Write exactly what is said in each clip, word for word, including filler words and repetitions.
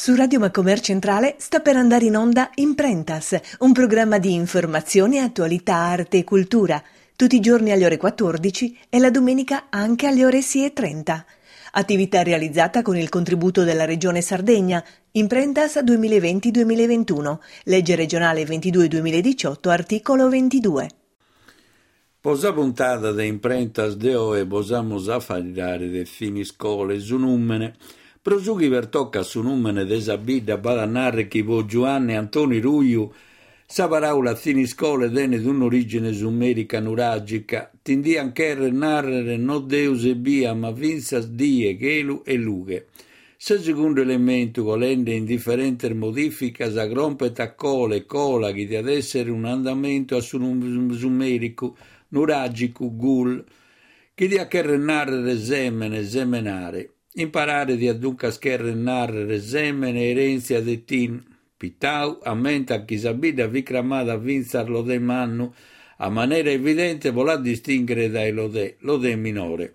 Su Radio Macomer Centrale sta per andare in onda Imprentas, un programma di informazione, attualità, arte e cultura, tutti i giorni alle ore quattordici e la domenica anche alle ore sei e trenta. Attività realizzata con il contributo della Regione Sardegna, Imprentas duemilaventi duemilaventuno, legge regionale ventidue duemiladiciotto, articolo ventidue. Po sa puntada de Imprentas de oe bos amus a faeddare de Thiniscole, su nùmene. Pro su chi pertocat su nùmene de sa bidda b'at a narrer chi po Giuanne Antoni Ruiu sa paraula Thiniscole tenet un'origine sumerica nuragica, tindian cherrer narrere no Deus ebbia, ma fintzas die, chelu e lughe. Su segundu elementu, colende in diferentes modificas, crompet a cole, cola, chi diat essere un andamentu a su sumericu, nuragicu, gul, chi diat cherrer narrere semene, semenare. Imparare diat duncas cherrer narrere semene, erèntzia de Tin. Pittau ammentat chi sa bidda fit cramada fintzas Lodè Mannu, a manera evidente pro la distinghere dae Lodè, Lodè Minore.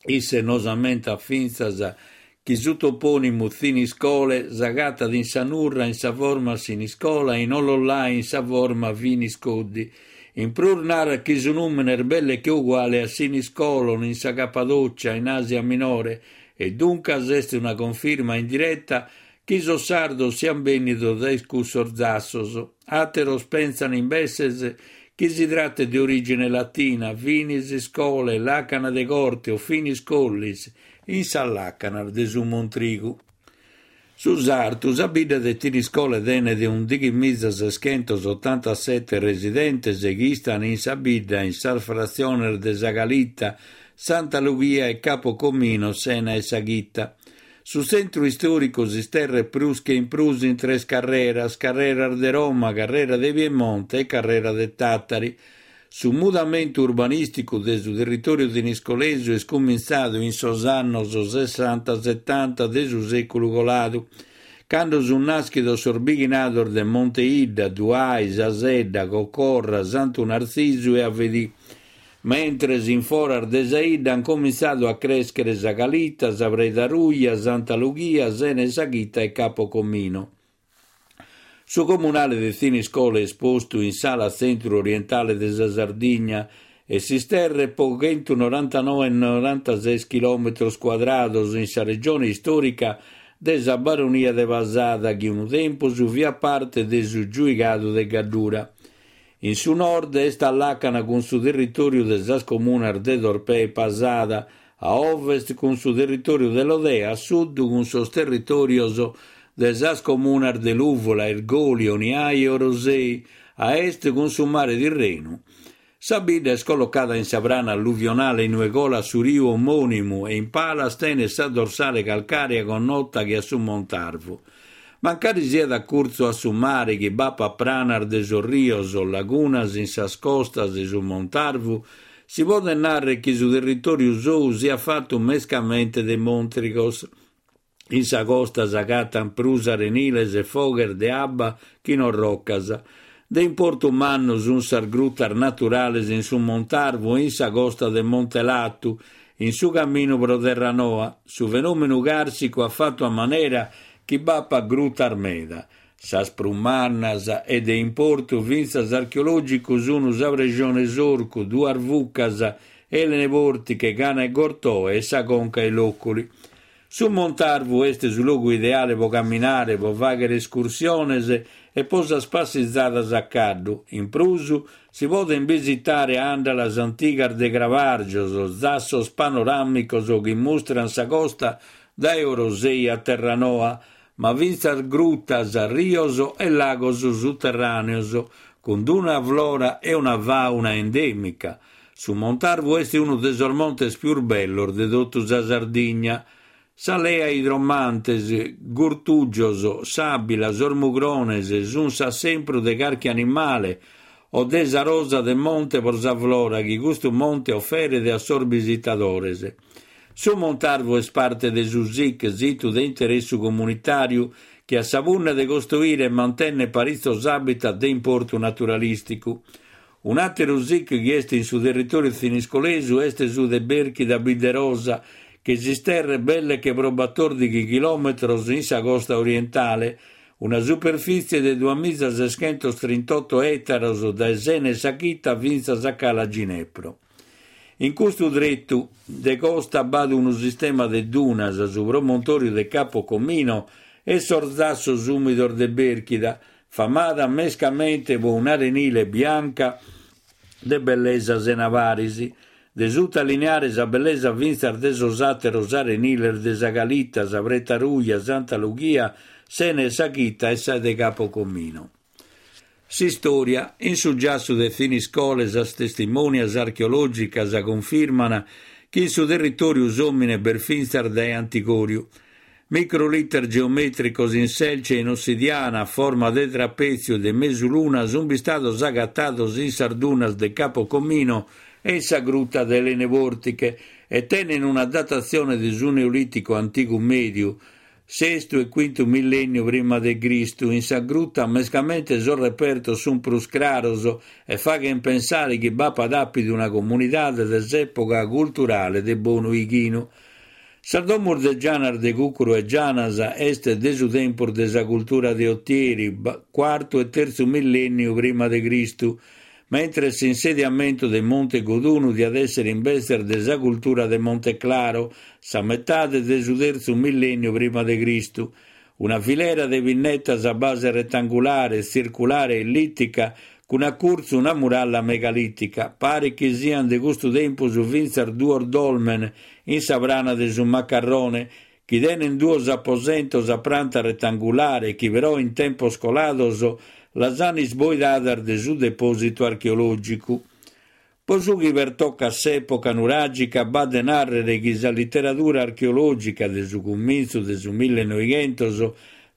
Isse nos ammentat fintzas chi su topònimu Thiniscole s'agatat in sa Nurra in sa forma Siniscola e in Ollollai in sa forma Finiscoddi. In prus narat chi su nùmene est belle che uguale a Siniscolon in sa Cappadocia, in Asia Minore, e duncas est una confirma indiretta chi sos sardos sian bènnidos dae cussos zassos. Àteros pensan imbetzes chi si trattet de origine latina, finis scole, làcana de corte o finis collis, in sas làcanas de su Montrigu. Su sartu, sa bidda de Thiniscole tenet undighimiza seschentos ottantasette residentes chi istan in sa bidda in sas fratziones de sa Calita, Santa Lughia e Capo Comino, Sena e Saghita. Su tzentru istòricu s'isterret prus che in prus in tres carreras, carreras de Roma, carrera de Piemonte e carrera de Tàtari. Su mudamentu urbanìsticu de su territòriu thiniscolesu est cumintzadu in sos annos sessanta setanta de su sèculu coladu, cando sunt nàschidos sos bighinados de Monte Idda, Duai, Sasedda, Cocorra, Santu Nartzisu e Avedì, mentres in foras de sa idda han comintzadu a crèschere sa Calita, sa Preda Ruja, Santa Lughia, Sena e Saghita e Capo Comino. Su comunale de Thiniscole est postu in s'ala tzentru-orientale de sa Sardigna e s'isterret po chentunorantanoe e norantases chilòmetros cuadrados in sa regione istòrica de sa Baronia de Pasada, chi unu tempus fiat parte de su giuigadu de Gaddura. In su nord est a làcana cun su territòriu de sas comunas de Torpè e Pasada, a ovest cun su territòriu de Lodè, a sud cun sos territòrios de sas comunas de Lùvula, Irgoli, Oniai e Orosei, a est cun su mare Tirrenu. Sa bidda est collocada in sa prana alluvionale inue colat su riu omònimu e in palas tenet sa dorsale calcàrea connota che a su Montarvu. Mancari siat a curtzu a su mare chi b'apat pranas de sos rios o lagunas in sas costas de su Montarvu, si podet narrer chi su territòriu sou siat fatu mescamente de montrigos. In sa costa s'agatan prus areniles e foghes de abba chi non rocas. De importu mannu sunt sas grutas naturales in su Montarvu e in sa costa de Montelatu, in su caminu pro Terranoa. Su fenòmenu càrsicu at fatu a manera chi b'apat grutas meda. Sas prus mannas e de importu fintzas archeològicu sunt sa Prejone S'Orcu, Duas Vucas, Elene Portiche, Cana e Gortoe e sa Conca 'e Lòculi. Su Montarvu est su logu ideale pro camminare, pro fàghere escursiones e pro sas passizadas a caddu. In prus si poden visitare àndalas antigas de cravàrgios, zassos panoràmicos chi mustran sa costa dae Orosei a Terranoa, ma fintzas grutas, rios e lagos suterràneos, cun una flora e una fauna endèmica. Su Montarvu est unu de sos montes pius bellos de totu sa Sardigna. Sa lea idromantes, gurtùgios, s'àbbila, sos mugrones sunt s'assempru de carchi animale o de sa rosa de monte pro sa flora chi custu monte oferet a sos visitadores. Su Montarvu est parte de su S I C, situ de interessu comunitàriu, chi at sa punna de costruire e mantènnere paritzos habitat de importu naturalìsticu. Un'àteru S I C chi est in su territòriu thiniscolesu est su de Bèrchida Bidderosa, chi s'isterret belle che pro batòrdighi chilòmetros in sa costa orientale, una superfìtzie de duamìgia seschentos trintotto ètaros dae S'Ena 'e sa Chita fintzas a Cala Ginepro. In custu tretu de costa b'at unu sistema de dunas, su promontòriu de Capo Comino e sos zassos ùmidos de Bèrchida, famada mescamente pro un'arenile bianca de bellesa sena paris, de sutalineare sa bellesa fintzas de sos àteros areniles de sa Calita, sa Preta Ruja, Santa Lughia, S'Ena 'e sa Chita e sa de Capo Comino. S'istòria. In su giassu de Thiniscole sas testimonias archeològicas cunfirman chi in su territòriu s'òmine b'est fintzas dae antigòriu. Microliter geomètricos in selce e in ossidiana a forma de trapètziu e de mesuluna sunt bistados agatados in sas dunas de Capo Comino e in sa gruta de Elene Portiche e tenen una datatzione de su Neolìticu Antigu Mèdiu, sestu e quintu millènniu prima de Cristu. In sa gruta mescamente sos repertos sunt prus craros e faghent pensare chi b'apat àpidu una comunidade de s'època culturale de Bonu Ighinu. Sas domus de Gianas de Cùcuru 'e Gianas est de su tempus de sa cultura de Otieri, cuartu e tertzu millènniu prima de Cristu, mentres s'insediamentu de Monte Godunu diat èssere imbetzes de sa cultura de Monte Claro, sa metade de su tertzu millènniu prima de Cristu. Una filera de pinnetas a base retangulare, tzirculare e ellìtica, cun a curtzu una muralla megalìtica. Paret chi siant de custu tempus fintzas duos dolmen in sa prana de su Macarrone, chi tenent duos aposentos a pranta retangulare chi però in tempos colados las ant isboidadas de su depòsitu archeològicu. Pro su chi pertocat s'època nuràgica b'at de nàrrere chi sa literadura archeològica de su cumintzu de su millenoighentos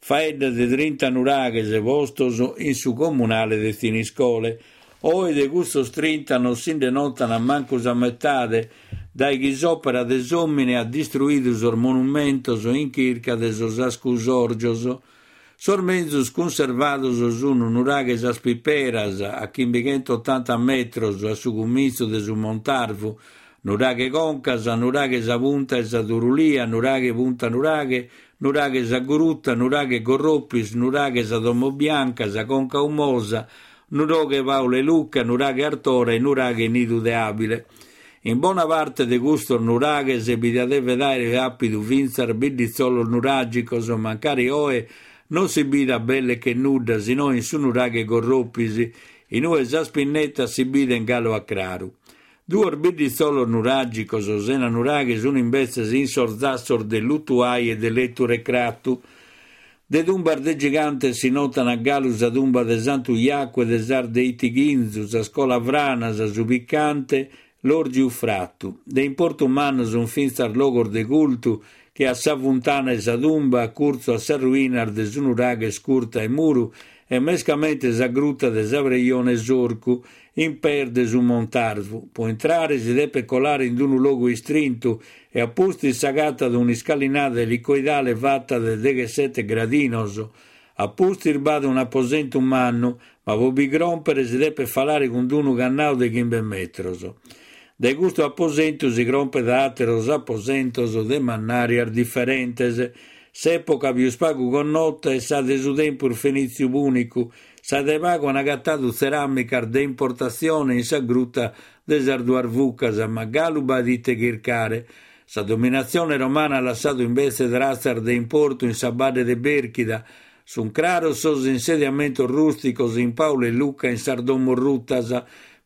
faeddat de trinta nuraghes postos in su comunale de Thiniscole. Oe de custos trinta non si nde notan mancu sa metade, dae chi s'òpera de s'òmine at distruidu sos monumentos in chirca de sos ascusòrgios. Sos menzus cunservados sunt nuraghe Sas Piperas, a chimbichentottanta metros a su cumintzu de su Montarvu, nuraghe Concas, nuraghe Sa Punta 'e sa Turulia, nuraghe Punta Nuraghe, nuraghe Sa Gruta, nuraghe Gorropis, nuraghe Sa Domo Bianca, Sa Conca Umosa, nuraghe Paule Luca, nuraghe Artora e nuraghe Nidu de Abile. In bona parte de custos nuraghes bi diat devet àere àpidu fintzas bidditzolos nuràgicos, mancari oe non si bidat belle che nudda, si no in su nuraghe Gorropis, in ue sas pinnetas si bident galu a craru. Duos bidditzolos nuràgicos sena nuraghe sunt imbetzes in sos zassos de Lutuai e de Letu Recratu. De tumbas de gigantes si notan galu sa tumba de Santu Iacu e de sas de Itighinzu, sas Colavranas, su Picante, l'Orgiu Fratu. De importu mannu sunt fintzas logos de cultu che a sa Funtana 'e sa Tumba, a curtzu a sas ruinas de su nuraghe Scurta 'e Muru e mescamente sa gruta de sa Preione Sorcu, in pees de su Montarvu. Pro intrare si depet colare in unu logu istrintu e a pustis s'agatat un'iscalinada elicoidale fatta de deghessete gradinos. A pustis b'at un'aposentu mannu, ma pro bi cròmpere si depet falare cun unu cannau de chimbe metros. Dae custu aposentu si crompet a àteros aposentos de mannàrias diferentes. S'època pius pagu connota est sa de su tempus fenìtziu pùnicu, sa de pagu ant agatadu tzeràmicas de importatzione in sa gruta de sas duas Vucas, ma galu b'at ite chircare. Sa dominatzione romana at lassadu imbetze tratzas de importu in sa badde de Bèrchida. Sunt craros sos insediamentos rùsticos in Paule e Luca in sas domos rutas,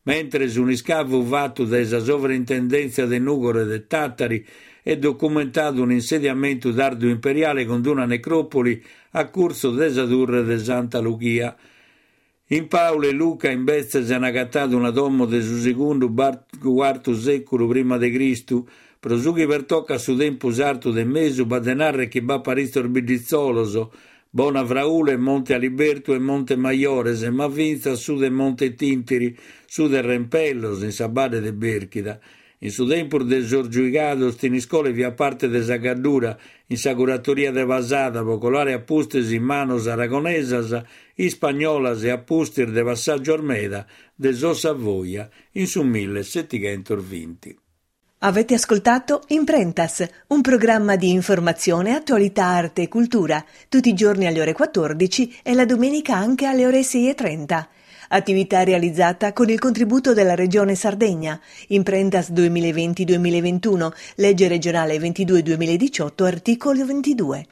mentres un'iscavu fatu dae sa sovrintendèntzia de Nùgoro e de Tàtari est documentadu un'insediamentu tardu imperiale cun una necròpoli a curtzu de sa turre de Santa Lughia. In Paule e Luca imbetzes ant agatadu una domo de su segundu cuartu sèculu prima de Cristu. Pro su chi pertocat su tempus artu de mesu b'at de nàrrere chi b'at paritzos bidditzolos, Bona Fraule, Monte Alibertu e Monte Maiores, ma fintzas su de Monte Tintiri, su de Rempellos, in sa badde de Bèrchida. In su tempus de sos giuigados, Thiniscole fiat parte de sa Gaddura, in sa curatoria de Pasada, pro colare a pustis in manos aragonesas, ispagnolas e a pustis de passàgios meda de sos Savoia in su millesettighentos binti. Avete ascoltato Imprentas, un programma di informazione, attualità, arte e cultura, tutti i giorni alle ore quattordici e la domenica anche alle ore sei e trenta. Attività realizzata con il contributo della Regione Sardegna. Imprentas duemilaventi duemilaventuno, legge regionale ventidue duemiladiciotto, articolo ventidue.